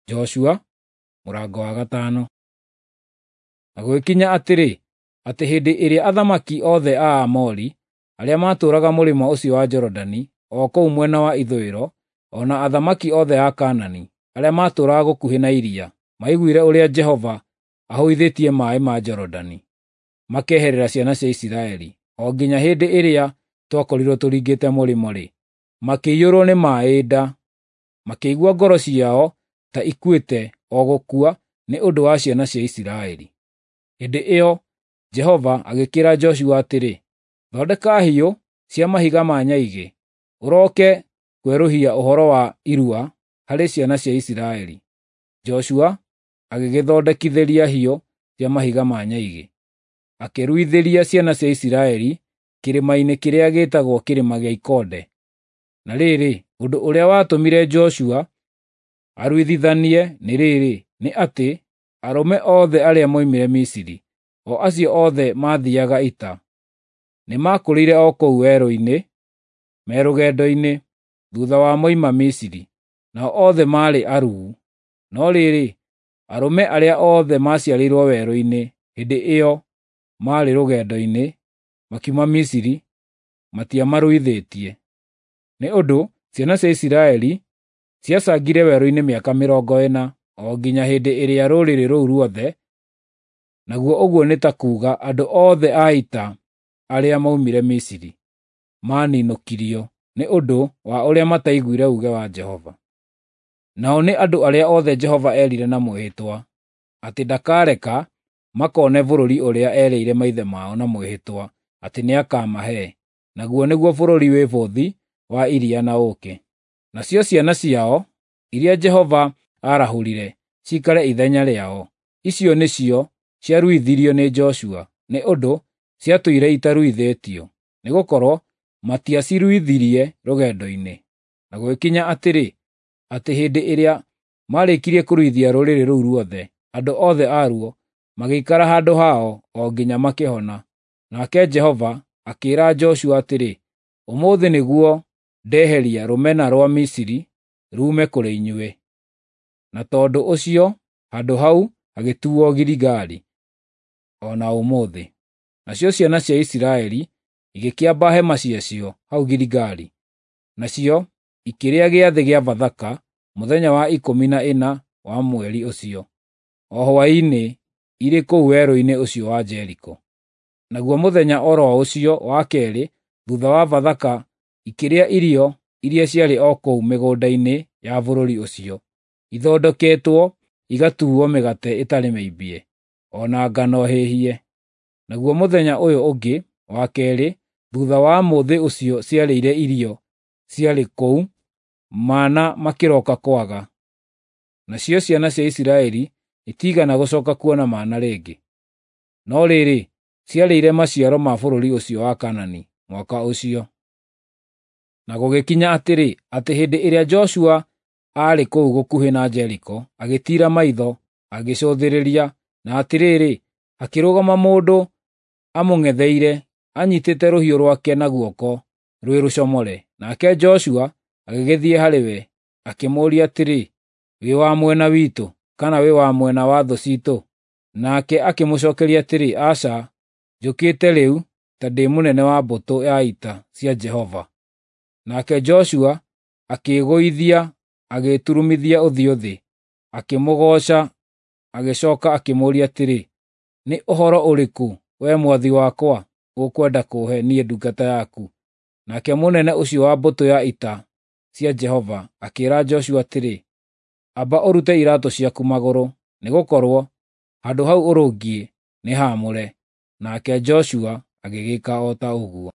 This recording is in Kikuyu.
Joshua mũrango wa gatano. Na gũgĩkinya atĩrĩ, atĩ hĩndĩ ĩrĩa athamaki othe a Aamori arĩa maatũũraga mũrĩmo ũcio wa Jorodani, o kũu mwena wa ithũĩro, o na athamaki othe a Kaanani arĩa maatũũraga gũkuhĩ na iria, maiguire ũrĩa Jehova ahũithĩtie maaĩ ma Jorodani makeherera ciana cia Isiraeli, o nginya hĩndĩ ĩrĩa twakorirwo tũringĩte mũrĩmo-rĩ, makĩiyũrwo nĩ maaĩ nda, makĩigua ngoro ciao ta ikuĩte o gũkua nĩ ũndũ wa ciana cia Isiraeli. Hĩndĩ ĩyo Jehova agĩkĩĩra Joshua atĩrĩ, “Thondeka hiũ cia mahiga ma nyaigĩ, ũroke kwerũhia ũhoro wa irua harĩ ciana cia Isiraeli.” Joshua agĩgĩthondekithĩria hiũ cia mahiga ma nyaigĩ, akĩruithĩria ciana cia Isiraeli kĩrĩma-inĩ kĩrĩa gĩĩtagwo Kĩrĩma gĩa Ikonde. Na rĩrĩ, ũndũ ũrĩa watũmire Joshua aruithithanie nĩ rĩrĩ, nĩ atĩ arũme othe arĩa moimire Misiri, o acio othe maathiiaga ita, nĩmakũrĩire o kũu werũ-inĩ me rũgendo-inĩ thuutha wa moima Misiri, nao othe maarĩ aruu. No rĩrĩ, arũme arĩa othe maaciarĩirwo werũ-inĩ hĩndĩ ĩyo maarĩ rũgendo-inĩ makiuma Misiri matiamaruithĩtie. Nĩ ũndũ ciana cia Isiraeli ciacangire werũ-inĩ mĩaka 40, o nginya hĩndĩ ĩrĩa rũrĩrĩ rũu ruothe, naguo ũguo nĩ ta kuuga andũ othe a ita arĩa moimire Misiri, maaninũkirio nĩ ũndũ wa ũrĩa mataiguire uuge wa Jehova. Nao nĩ andũ arĩa othe Jehova eerire na mwĩhĩtwa, atĩ ndakareka makone bũrũri ũrĩa erĩire maithe mao na mwĩhĩtwa atĩ nĩakamahe, naguo nĩguo bũrũri wĩ bũthi wa iria na ũũkĩ. Nacio ciana ciao, iria Jehova aarahũrire ciikare ithenya rĩao, icio nĩcio ciaruithirio nĩ Joshua, nĩ ũndũ ciatũire itaruithĩtio, nĩgũkorwo matiaciruithirie rũgendo-inĩ. Na gũgĩkinya atĩrĩ, atĩ hĩndĩ ĩrĩa maarĩkirie kũruithia rũrĩrĩ rũu ruothe, andũ othe aruo magĩikara handũ hao o nginya makĩhona. Nake Jehova akĩĩra Joshua atĩrĩ, “Ũmũthĩ nĩguo ndeheria rũmena rwa Misiri ruume kũrĩ inyuĩ.” Na tondũ ũcio handũ hau hagĩtuuo Giligali o na ũmũthĩ. Nacio ciana cia Isiraeli igĩkĩamba hema ciacio hau Giligali, nacio ikĩrĩa gĩathĩ gĩa Bathaka mũthenya wa 14 wa mweri ũcio, o hwaĩ-inĩ irĩ kũu werũ-inĩ ũcio wa Jeriko. Naguo mũthenya o ro ũcio wa keerĩ thuutha wa Bathaka ikĩrĩa irio iria ciarĩ o kũu mĩgũnda-inĩ ya bũrũri ũcio, ithondeketwo igatuuo mĩgate ĩtarĩ mĩimbie, o na ngano hĩhie. Naguo mũthenya ũyũ ũngĩ wa keerĩ thuutha wa mũthĩ ũcio ciarĩire irio ciarĩ kũu, mana makĩroka kwaga. Nacio ciana cia Isiraeli itiigana gũcooka kuona mana rĩngĩ. No rĩrĩ, ciarĩire maciaro ma bũrũri ũcio wa Kaanani mwaka ũcio. Na gũgĩkinya atĩrĩ, atĩ hĩndĩ ĩrĩa Joshua aarĩ kũu gũkuhĩ na Jeriko, agĩtiira maitho, agĩcũthĩrĩria, na atĩrĩrĩ, hakĩrũgama mũndũ amũng'etheire anyiitĩte rũhiũ rwake na guoko rwĩ rũcomore. Nake Joshua agĩgĩthiĩ harĩ we, akĩmũũria atĩrĩ, “Wĩ wa mwena witũ, kana wĩ wa mwena wa thũ ciitũ?” Nake akĩmũcookeria atĩrĩ, “Aca, njũkĩte rĩu ta ndĩ mũnene wa mbũtũ ya ita cia Jehova.” Nake Joshua akĩĩgũithia agĩturumithia ũthiũ thĩ, akĩmũgooca, agĩcooka akĩmũũria atĩrĩ, “Nĩ ũhoro ũrĩkũ, wee mwathi wakwa, ũkwenda kũũhe niĩ ndungata yaku?” Nake mũnene ũcio wa mbũtũ ya ita cia Jehova akĩĩra Joshua atĩrĩ, “Amba ũrute iraatũ ciaku magũrũ, nĩgũkorwo handũ hau ũrũngiĩ nĩ haamũre.” Nake Joshua agĩgĩĩka o ta ũguo.